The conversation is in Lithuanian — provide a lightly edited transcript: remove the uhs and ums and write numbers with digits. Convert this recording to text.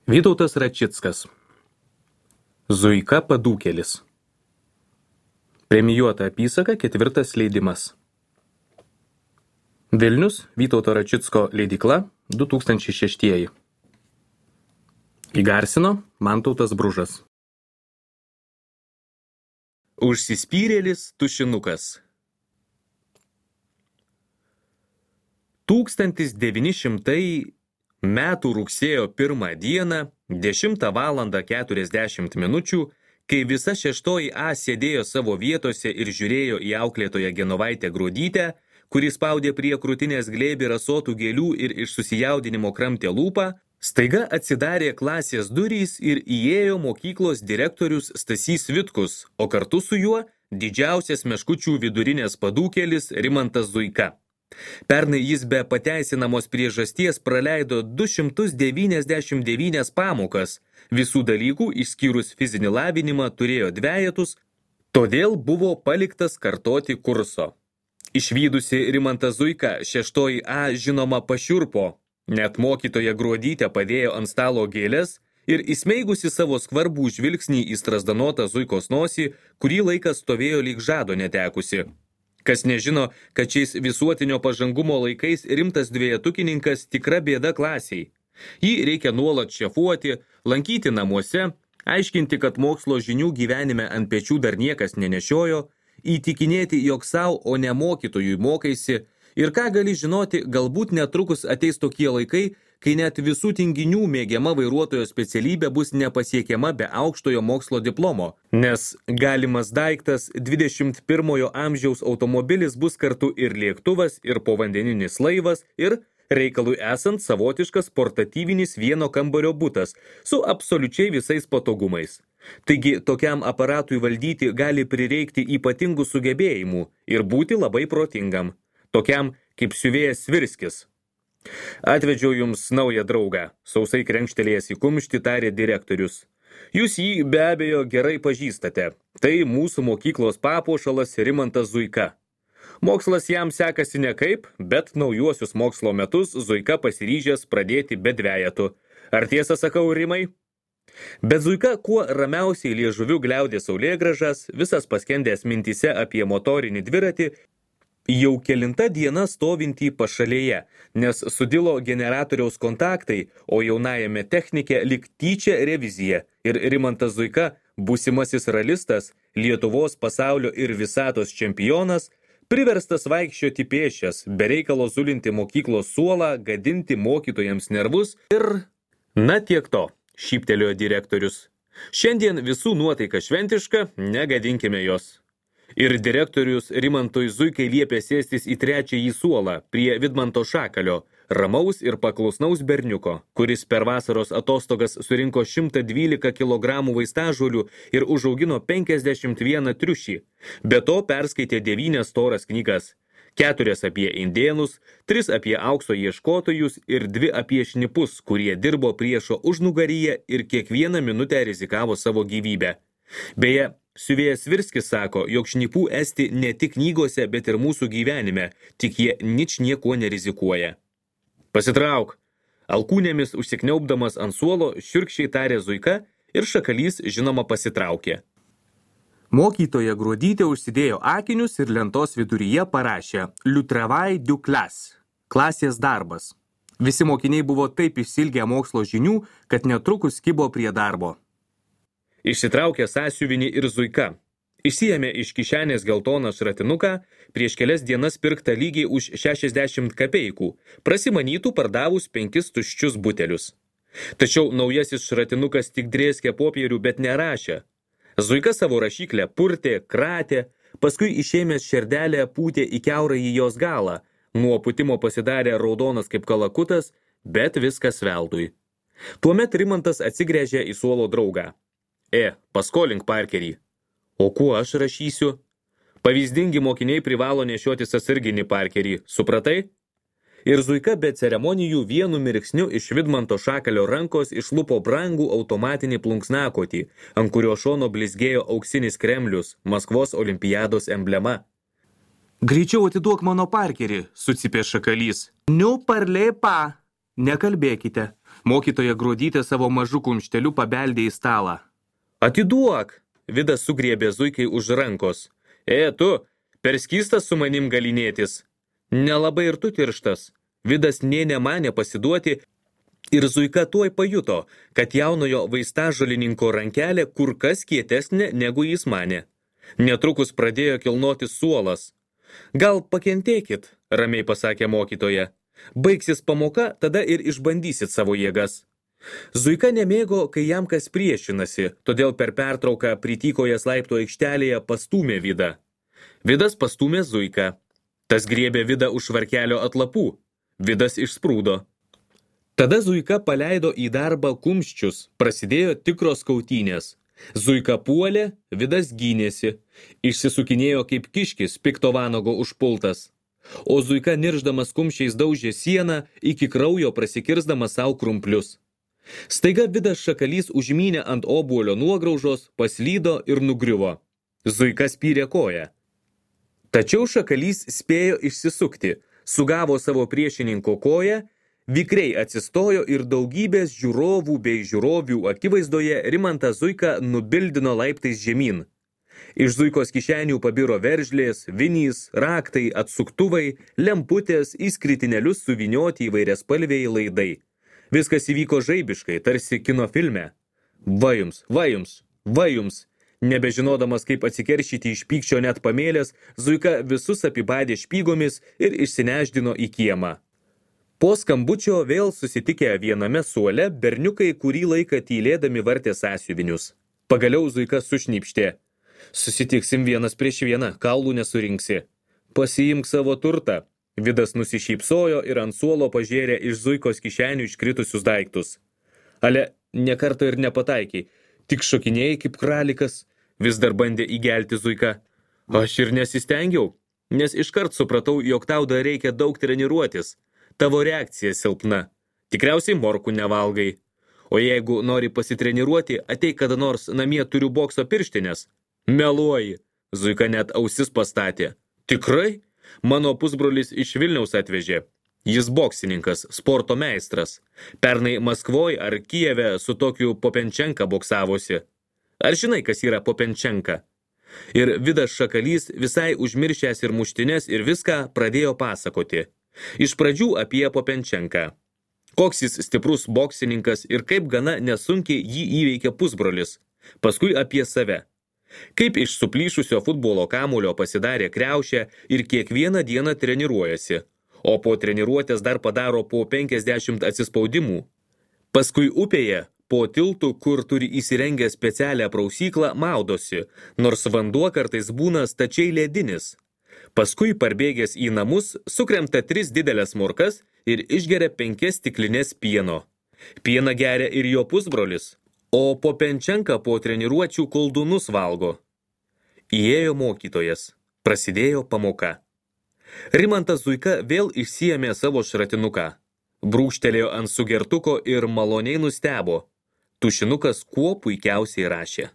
Vytautas Račickas. Zuika Padūkėlis. Premijuota apysaka, 4 leidimas. Vilnius, Vytauto Račicko leidykla, 2006. Įgarsino Mantautas Bružas. Užsispyrėlis tušinukas. 1900 metų rugsėjo 1 dieną, 10 valandą 40 minučių, kai visa 6 A sėdėjo savo vietose ir žiūrėjo į auklėtoją Genovaitę Gruodytę, kuri spaudė prie krūtinės glėbį rasotų gėlių ir iš susijaudinimo kramtė lūpą, staiga atsidarė klasės durys ir įėjo mokyklos direktorius Stasys Vitkus, o kartu su juo didžiausias Meškučių vidurinės padūkėlis Rimantas Zuika. Pernai jis be pateisinamos priežasties praleido 299 pamokas, visų dalykų išskyrus fizinį lavinimą turėjo 2, todėl buvo paliktas kartoti kurso. Išvydusi Rimantas Zuika 6 A žinoma pašiurpo, net mokytoja Gruodytė padėjo ant stalo gėles ir įsmeigusi savo skvarbų žvilgsnį į strazdanotą Zuikos nosį, kurį laikas stovėjo lyg žado netekusi. Kas nežino, kad šiais visuotinio pažangumo laikais rimtas dvejetukininkas tikra bėda klasiai. Jį reikia nuolat šefuoti, lankyti namuose, aiškinti, kad mokslo žinių gyvenime ant pečių dar niekas nenešiojo, įtikinėti, jog savo, o ne mokytojui mokaisi, ir ką gali žinoti, galbūt netrukus ateis tokie laikai, kai net visų tinginių mėgiama vairuotojo specialybė bus nepasiekiama be aukštojo mokslo diplomo, nes galimas daiktas 21 amžiaus automobilis bus kartu ir lėktuvas, ir povandeninis laivas, ir reikalui esant savotiškas portatyvinis vieno kambario butas su absoliučiai visais patogumais. Taigi tokiam aparatui valdyti gali prireikti ypatingų sugebėjimų ir būti labai protingam, tokiam kaip siuvėjas Svirskis. Atvedžiau jums naują draugą, sausai krenkštelėjęs į kumštį tarė direktorius. Jūs jį be abejo gerai pažįstate. Tai mūsų mokyklos papuošalas Rimantas Zuika. Mokslas jam sekasi nekaip, bet naujuosius mokslo metus Zuika pasiryžęs pradėti be 2. Ar tiesą sakau, Rimai? Bet Zuika kuo ramiausiai liežuviu gliaudė saulėgražas, visas paskendęs mintyse apie motorinį dviratį, jau kelinta diena stovintį pašalėje, nes sudilo generatoriaus kontaktai, o jaunajame technike lyg tyčia revizija ir Rimantas Zuika, būsimasis ralistas, Lietuvos, pasaulio ir visatos čempionas, priverstas vaikščioti pėsčias, bereikalo zulinti mokyklos suolą, gadinti mokytojams nervus ir... Na tiek to, šyptelėjo direktorius. Šiandien visų nuotaika šventiška, negadinkime jos. Ir direktorius Rimantui Zuikai liepė sėstis į 3. suolą prie Vidmanto Šakalio, ramaus ir paklusnaus berniuko, kuris per vasaros atostogas surinko 112 kg vaistažolių ir užaugino 51 triušį. Be to perskaitė 9 storas knygas, 4 apie indėnus, 3 apie aukso ieškotojus ir 2 apie šnipus, kurie dirbo priešo užnugaryje ir kiekvieną minutę rizikavo savo gyvybę. Beje, siuvėjas Svirskis sako, jog šnipų esti ne tik knygose, bet ir mūsų gyvenime, tik jie ničniekuo nerizikuoja. Pasitrauk. Alkūnėmis užsikniaubdamas ant suolo šiurkščiai tarė Zuika ir Šakalys žinoma pasitraukė. Mokytoja Gruodytė užsidėjo akinius ir lentos viduryje parašė Le travail du classe, klasės darbas. Visi mokiniai buvo taip išsilgę mokslo žinių, kad netrukus kibo prie darbo. Išsitraukė sąsiuvinį ir Zuika. Išsiėmė iš kišenės geltoną šratinuką, prieš kelias dienas pirktą lygiai už 60 kapeikų, prasimanytų pardavus 5 tuščius butelius. Tačiau naujasis šratinukas tik drėskė popierių, bet nerašė. Zuika savo rašyklę purtė, kratė, paskui išėmęs šerdelę pūtė į kiaurąjį jos galą, nuo pūtimo pasidarė raudonas kaip kalakutas, bet viskas veltui. Tuomet Rimantas atsigręžė į suolo draugą. Paskolink parkerį. O kuo aš rašysiu? Pavyzdingi mokiniai privalo nešiotis atsarginį parkerį, supratai? Ir Zuika be ceremonijų vienu mirksniu iš Vidmanto Šakalio rankos išlupo brangų automatinį plunksnakotį, ant kurio šono blizgėjo auksinis kremlius, Maskvos olimpiados emblema. Greičiau atiduok mano parkerį, sucypė Šakalys. Ne parlez pas. Nekalbėkite. Mokytoja Gruodytė savo mažu kumšteliu pabeldė į stalą. Atiduok! Vidas sugriebė Zuikai už rankos. Tu, per skystas su manim galinėtis. Nelabai ir tu tirštas. Vidas nė nemanė pasiduoti ir Zuika tuoj pajuto, kad jaunojo vaistažolininko rankelė kur kas kietesnė negu jis manė. Netrukus pradėjo kilnoti suolas. Gal pakentėkit, ramiai pasakė mokytoja. Baigsis pamoka, tada ir išbandysit savo jėgas. Zuika nemėgo, kai jam kas priešinasi, todėl per pertrauką pritykojas laiptų aikštelėje pastūmė Vidą. Vidas pastūmė Zuiką. Tas griebė Vidą už švarkelio atlapų. Vidas išsprūdo. Tada Zuika paleido į darbą kumščius, prasidėjo tikros kautynės. Zuika puolė, Vidas gynėsi. Išsisukinėjo kaip kiškis, pikto vanago užpultas. O Zuika nirždamas kumščiais daužė sieną, iki kraujo prasikirsdamas savo krumplius. Staiga Vidas Šakalys užmynė ant obuolio nuograužos, paslydo ir nugriuvo. Zuika spyrė koją. Tačiau Šakalys spėjo išsisukti, sugavo savo priešininko koją, vikriai atsistojo ir daugybės žiūrovų bei žiūrovių akivaizdoje Rimantą Zuiką nubildino laiptais žemyn. Iš Zuikos kišenių pabiro veržlės, vinys, raktai, atsuktuvai, lemputės, į skritinelius suvynioti įvairiaspalviai laidai. Viskas įvyko žaibiškai, tarsi kino filme. Va jums, va jums, va jums. Nebežinodamas, kaip atsikeršyti iš pykčio net pamėlės, Zuika visus apibadė špygomis ir išsineždino į kiemą. Po skambučio vėl susitikę viename suole, berniukai kurį laiką tylėdami vartė sąsiuvinius. Pagaliau Zuika sušnypštė. Susitiksim vienas prieš vieną, kaulų nesurinksi. Pasiimk savo turtą. Vidas nusišypsojo ir ant suolo pažėrė iš Zuikos kišenių iškritusius daiktus. Ale, nekarto ir nepataikiai, tik šokinėjai kaip kralikas, vis dar bandė įgelti Zuika. Aš ir nesistengiau, nes iškart supratau, jog tau dar reikia daug treniruotis. Tavo reakcija silpna. Tikriausiai morkų nevalgai. O jeigu nori pasitreniruoti, ateik kada nors, namie turiu bokso pirštinės. Meluoji. Zuika net ausis pastatė. Tikrai? Mano pusbrolis iš Vilniaus atvežė. Jis boksininkas, sporto meistras. Pernai Maskvoj ar Kijeve su tokiu Popenčenka boksavosi. Ar žinai, kas yra Popenčenka? Ir Vidas Šakalys, visai užmiršęs ir muštines ir viską, pradėjo pasakoti. Iš pradžių apie Popenčenką. Koks jis stiprus boksininkas ir kaip gana nesunkiai jį įveikė pusbrolis. Paskui apie save. Kaip iš suplyšusio futbolo kamuolio pasidarė kriaušę ir kiekvieną dieną treniruojasi, o po treniruotės dar padaro po 50 atsispaudimų. Paskui upėje, po tiltu, kur turi įsirengę specialią prausyklą, maudosi, nors vanduo kartais būna stačiai ledinis. Paskui parbėgęs į namus, sukremta 3 didelės morkas ir išgeria 5 stiklinės pieno. Pieną geria ir jo pusbrolis. O Popenčenka po treniruočių koldūnus valgo. Įėjo mokytojas. Prasidėjo pamoka. Rimantas Zuika vėl išsiėmė savo šratinuką. Brūkštelėjo ant sugertuko ir maloniai nustebo. Tušinukas kuo puikiausiai rašė.